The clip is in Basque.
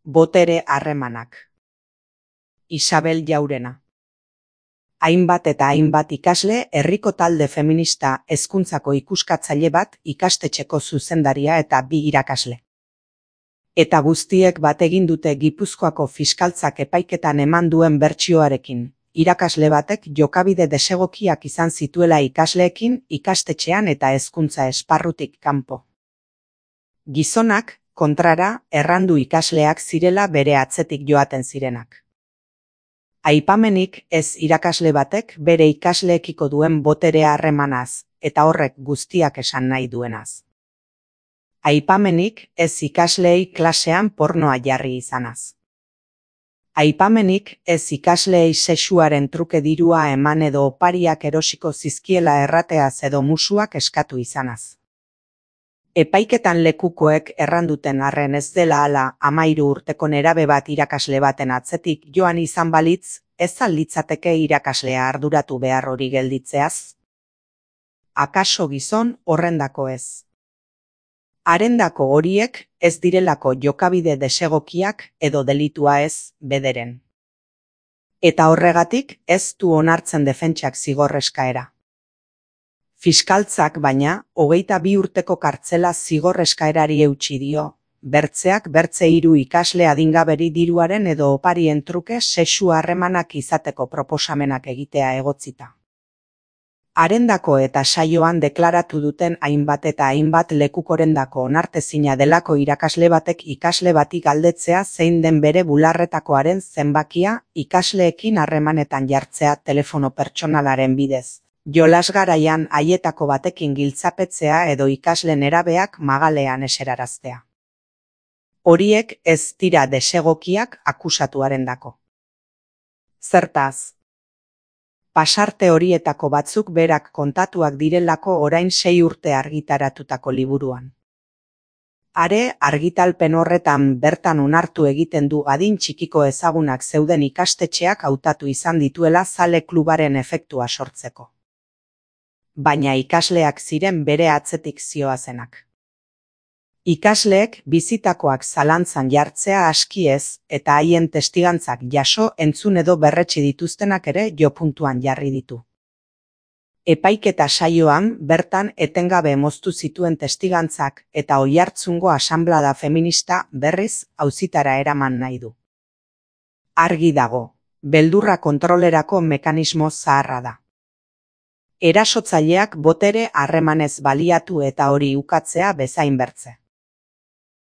Botere harremanak. Isabel Jaurena. Hainbat eta hainbat ikasle, herriko talde feminista hezkuntzako ikuskatzaile bat, ikastetxeko zuzendaria eta 2 irakasle. Eta guztiek bat egin dute Gipuzkoako fiskaltzak epaiketan eman duen bertsioarekin. Irakasle batek jokabide desegokiak izan zituela ikasleekin, ikastetxean eta hezkuntza esparrutik kanpo. Gizonak, kontrara, errandu ikasleak zirela bere atzetik joaten zirenak. Aipamenik ez irakasle batek bere ikasleekiko duen botere harremanaz, eta horrek guztiak esan nahi duenaz. Aipamenik ez ikasleei klasean pornoa jarri izanaz. Aipamenik ez ikasleei sexuaren truke dirua eman edo opariak erosiko zizkiela errateaz edo musuak eskatu izanaz. Epaiketan lekukoek erranduten arren ez dela hala 13 urteko nerabe bat irakasle baten atzetik joan izan balitz, ez al litzateke irakaslea arduratu behar hori gelditzeaz? Akaso gizon horrendako ez. Harendako horiek ez direlako jokabide desegokiak edo delitua ez, bederen. Eta horregatik ez du onartzen defentsak zigor eskaera. Fiskaltzak baina, 22 urteko kartzela zigor eskaerari eutsi dio, bertzeak bertze 3 ikasle adingaberi diruaren edo oparien truke sexu harremanak izateko proposamenak egitea egotzita. Harendako eta saioan deklaratu duten hainbat eta hainbat lekukorendako onartezina delako irakasle batek ikasle bati galdetzea zein den bere bularretakoaren zenbakia ikasleekin harremanetan jartzea telefono pertsonalaren bidez. Jolas garaian haietako batekin giltzapetzea edo ikasle nerabeak magalean eseraraztea. Horiek ez dira desegokiak akusatuarendako. Zertaz? Pasarte horietako batzuk berak kontatuak direlako orain 6 urte argitaratutako liburuan. Are argitalpen horretan bertan onartu egiten du adin txikiko ezagunak zeuden ikastetxeak hautatu izan dituela zale klubaren efektua sortzeko. Baina ikasleak ziren bere atzetik zioazenak. Ikasleek bizitakoak zalantzan jartzea aski ez, eta haien testigantzak jaso entzun edo berretsi dituztenak ere jopuntuan jarri ditu. Epaiketa saioan bertan etengabe moztu zituen testigantzak eta Oiartzungo asanblada feminista berriz auzitara eraman nahi du. Argi dago, beldurra kontrolerako mekanismo zaharra da. Erasotzaileak botere harremanez baliatu eta hori ukatzea bezain bertze.